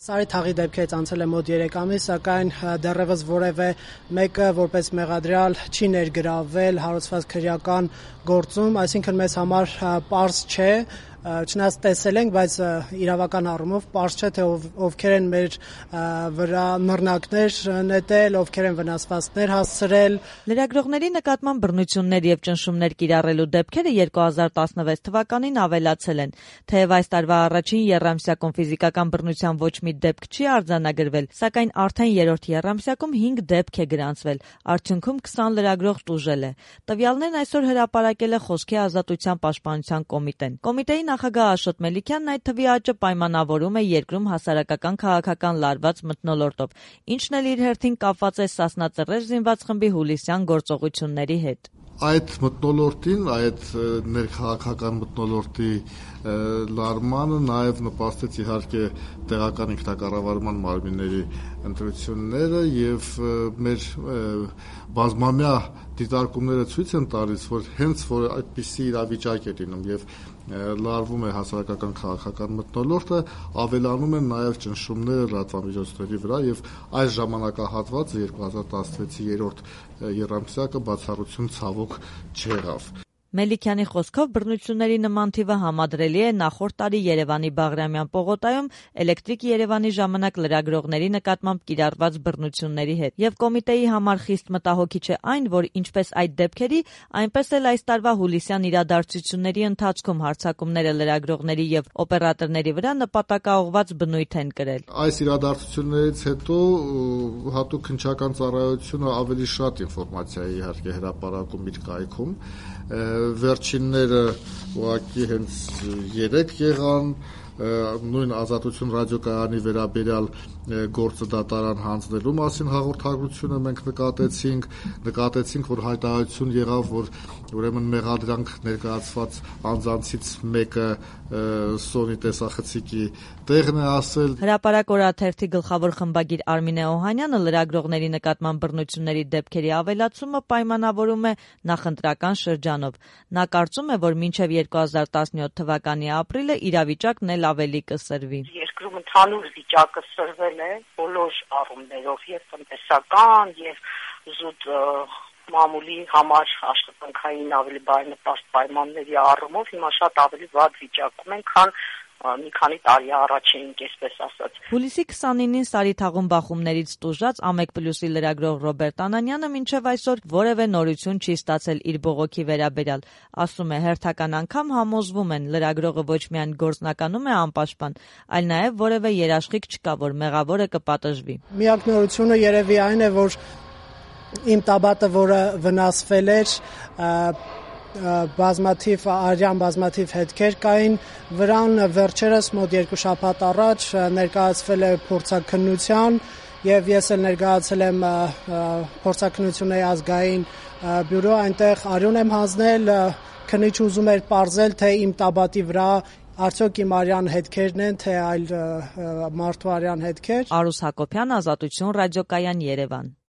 Սարի թաղի դեպքերից անցել է մոտ 3 ամիս, սակայն դեռևս որևէ մեկը որպես մեղադրյալ չի ներգրավվել հարուցված քրեական գործում, այսինքն մեզ համար պարզ չէ, չնայած տեսել ենք, բայց իրավական առումով պարզ չէ, թե ովքեր են մեր վրա նռնակներ նետել, ովքեր են վնասվածքներ հասցրել։ Լրագրողների նկատմամբ բռնություններ եւ ճնշումներ կիրառելու դեպքերը 2016 թվականին ավելացել են, թեև այս տարվա առաջին եռամսյակում ֆիզիկական բռնության ոչ մի դեպք չի արձանագրվել, սակայն արդեն երրորդ եռամսյակում 5 դեպք է գրանցվել, արդյունքում 20 լրագրող տուժել է։ Տվյալներն այսօր հրապարակել է Խոսքի ազատության պաշտպանության կոմիտեն։ Կոմիտեի նախագահ Աշոտ Մելիքյանն այդ թվի աճը պայմանավորում է երկրում հասարակական քաղաքական լարված մթնոլորտով, ինչն էլ իր հերթին կապված է Սասնա Ծռեր զինված խմբի հուլիսյան գործողությունների հետ։ Այդ մթնոլորտին, այդ ներքաղաքական մթնոլորտի լարմանը նաև նպաստեց իհարկե տեղական ինքնակառավարման մարմինների ընտրությունները եւ մեր բազմամյա դիտարկումները ցույց են տալիս, որ հենց որ այդպիսի իրավիճակ է լինում եւ լարվում է հասարակական քաղաքական մթնոլորտը, ավելանում են նաև ճնշումները լրատվամիջոցների վրա եւ այս ժամանակահատվածը 2016-ի երրորդ եռամսյակը բացառություն ցավոք չեղավ։ Մելիքյանի խոսքով բռնությունների նման թիվը համադրելի է նախորդ տարի Երևանի Բաղրամյան պողոտայում Էլեկտրիկ Երևանի ժամանակ լրագրողների նկատմամբ կիրառված բռնությունների հետ։ Եվ կոմիտեի համար խիստ մտահոգիչ է այն, որ ինչպես այդ դեպքերի, այնպես էլ այս տարվա հուլիսյան իրադարձությունների ընթացքում հարձակումները լրագրողների եւ օպերատորների վրա նպատակաուղղված բնույթ են կրել։ Այս իրադարձություններից հետո հատուկ քննչական ծառայությունը ավելի շատ ինֆորմացիա է իհարկե հրապարակում իր կայքում։ Վերջինները ուղղակի հենց 3 եղան, նույն Ազատություն ռադիոկայանի վերաբերյալ գործը դատարան հանձնելու մասին հաղորդագրությունը մենք նկատեցինք, որ հայտարարություն եղավ, որ ուրեմն մեղադրանք ներկայացված անձանցից մեկը Սոնի տեսախցիկի տեղն է ասել։ Հրապարակ օրաթերթի գլխավոր խմբագիր Արմինե Օհանյանը լրագրողների նկատմամբ բռնությունների դեպքերի ավելացումը պայմանավորում է նախընտրական շրջանով։ Նա կարծում է, որ մինչև 2017 թվականի ապրիլը իրավիճակն էլ ավելի կսրվի։ Երկրում ընդհանուր վիճակը սրվել է բոլոր առումներով, եւ տնտեսական, եւ զուտ մամուլի համար աշխատանքային ավելի բարենպաստ պայմանների առումով հիմա շատ ավելի վատ վիճակում են, քան մի քանի տարի առաջ էինք, այսպես ասած։ Հուլիսի 29-ին Սարի թաղում բախումներից տուժած Ամեկ+-ի լրագրող Ռոբերտ Անանյանը մինչև այսօր որևէ նորություն չի ստացել իր բողոքի վերաբերյալ։ Ասում է, հերթական անգամ համոզվում են, լրագրողը ոչ միայն գործնականում է անպաշտպան, այլ նաև որևէ երաշխիք չկա, որ մեղավորը կպատժվի։ Միակ նորությունը երևի այն է, որ իմ տաբատը, որը վնասվել էր, բազմաթիվ հետքեր կային վրան, վերջերս մոտ 2 շաբաթ առաջ ներկայացվել է փորձաքննության եւ ես էլ ներկայացել եմ փորձաքննությունների ազգային բյուրո, այնտեղ արյուն եմ հանձնել, քննիչ ուզում էր պարզել, թե իմ տաբատի վրա արդյոք իմ արյան հետքերն են, թե այլ մարդու արյան հետքեր։ Արուս Հակոբյան, Ազատություն ռադիոկայան, Երևան։